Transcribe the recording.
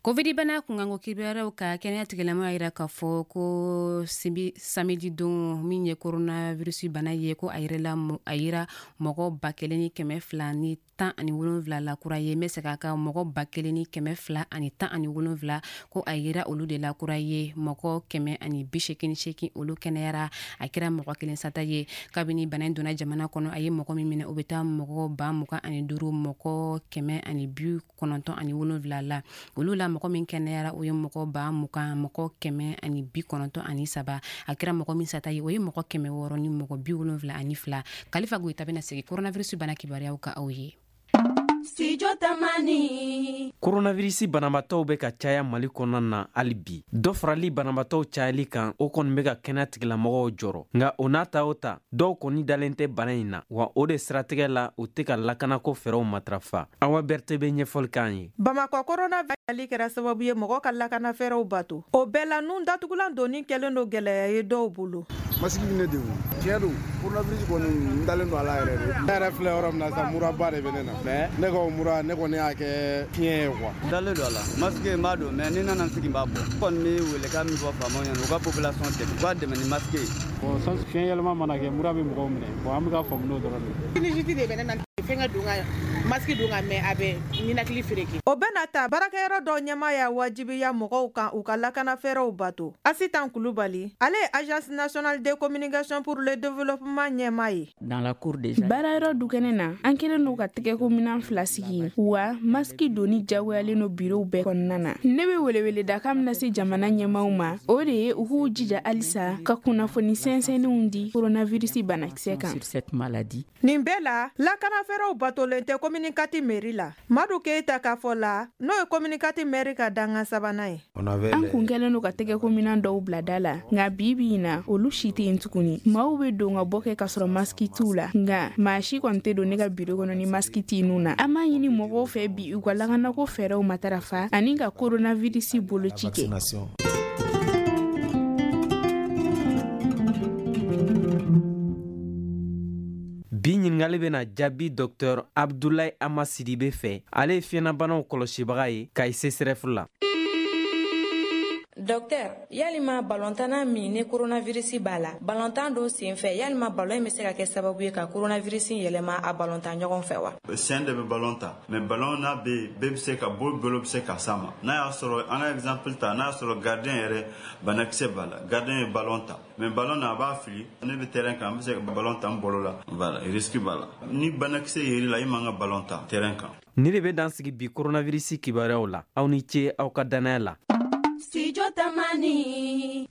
Covid bana kunkanko kibaruyaw ka kɛnɛya tigilamɔgɔw y'a yira k'a fɔ ko samedi don min ye coronavirus bana ye, ko a yera mɔgɔ 1217 la kura ye. N bɛ segin a kan, mɔgɔ 1217, ko a yera olu de la kura ye. Mɔgɔ 188, olu kɛnɛyara. A kɛra mɔgɔ kelen sata ye. Kabini bana in donna jamana kɔnɔ, a ye mɔgɔ min minɛ, o bɛ taa mɔgɔ 25 000 mɔgɔ 197 la. Olu la, mɔgɔ min kɛnɛyara, o ye mɔgɔ 20 000 mɔgɔ 193. A kɛra mɔgɔ min sata ye, o ye mɔgɔ 600 ni mɔgɔ 72. Kalifa Goyita bɛna segin coronavirus bana kibaruyaw ka aw ye. Studio Tamani. Coronavirus banabaatɔw bɛ ka caya Mali kɔnɔna na hali bi. Dɔ farali banabaatɔw cayali kan, o kɔni bɛ ka kɛnɛya tigilamɔgɔw jɔrɔ. Nka o n'a ta o ta, dɔw kɔni dalen tɛ bana in na, wa o de siratigɛ la, u tɛ ka lakanako fɛɛrɛw matarafa. Awa Berthe bɛ ɲɛfɔli k'an ye. Bamakɔ coronavirus kɛra sababu ye mɔgɔ ka lakana fɛɛrɛw bato. O bɛɛ la, nun datugulan donni kɛlen don gɛlɛya ye dɔw bolo. Masque bɛ ne degun. Tiɲɛ don, coronavirus kɔni, n dalen don a la yɛrɛ de. Ne yɛrɛ filɛ yɔrɔ min na sisan, muraba de bɛ ne na. Mais ne ka o mura, ne kɔni y'a kɛ fiɲɛ ye quoi. N dalen don a la. Masque n b'a don, mais ni nana n sigi n b'a bɔ. N kɔni bɛ welekan min fɔ faamaw ɲɛna, u ka population dɛmɛ, u ka dɛmɛ ni masque ye. Bon, fiɲɛ yɛlɛma mana kɛ, mura bɛ mɔgɔw minɛ. Bon, an bɛ ka faamu n'o dɔrɔn de ye. Sinusite de bɛ ne na, fɛnkɛ don ka masque don ka mɛn, a bɛ ninakili fereke. O bɛɛ n'a ta, baarakɛyɔrɔ dɔw ɲɛmaa y'a wajibiya mɔgɔw kan u ka lakana fɛɛrɛw bato. Asitan Kulubali, ale ye Agence nationale de communication pour le développement ɲɛmaa ye. Dans la cour déjà. Baarayɔrɔ dukɛnɛ na, an kɛlen don ka tɛgɛko minan 2 sigi, wa masque donni jagoyalen don birow bɛɛ kɔnɔna na. Ne bɛ weleweledakan min lase jamana ɲɛmaaw ma, o de ye u k'u jija halisa ka kunnafoni sɛnsɛnnenw di coronavirus banakisɛ kan. Sur cette maladie. Nin bɛɛ la, lakana fɛɛrɛw batolen tɛ commune 4 mairie la. Madu Keyita ka fɔ la, n'o ye commune 4 mairie ka dankan sabanan ye. An kun kɛlen don ka tɛgɛko minan dɔw bila da la, nka bi bi in na, olu si tɛ yen tuguni. Maaw bɛ don ka bɔ kɛ k'a sɔrɔ masque t'u la, nka maa si kɔni tɛ don ne ka biro kɔnɔ ni masque t'i nun na. An b'a ɲini mɔgɔw fɛ bi u ka lakanako fɛɛrɛw matarafa ani ka coronavirus boloci kɛ. Bi ɲininkali bɛna jaabi Docteur Abdoulaye Ama Sidibe fɛ. Ale ye fiɲɛnabanaw kɔlɔsibaga ye Kayi CSRF la. Docteur, yalima balontanna min ni coronavirus b'a la, balontan dɔ senfɛ, yalima balon in bɛ se ka kɛ sababu ye ka coronavirus yɛlɛma a balontan ɲɔgɔn fɛ wa? Sen de bɛ balon ta, mais balon n'a bɛ yen, bɛɛ bɛ se ka bolo bɛ se ka s'a ma. N'a y'a sɔrɔ, an ka exemple ta, n'a y'a sɔrɔ gardien yɛrɛ banakisɛ b'a la, gardien ye balon ta, mais balon na a b'a fili, ne bɛ terrain kan, n bɛ se ka balon ta n bolo la, voilà, risque b'a la. Ni banakisɛ yer'i la, i man ka balon ta terrain kan. Ni de bɛ dan sigi bi coronavirus kibaruyaw la. Aw ni ce aw ka danaya la. Studio Tamani.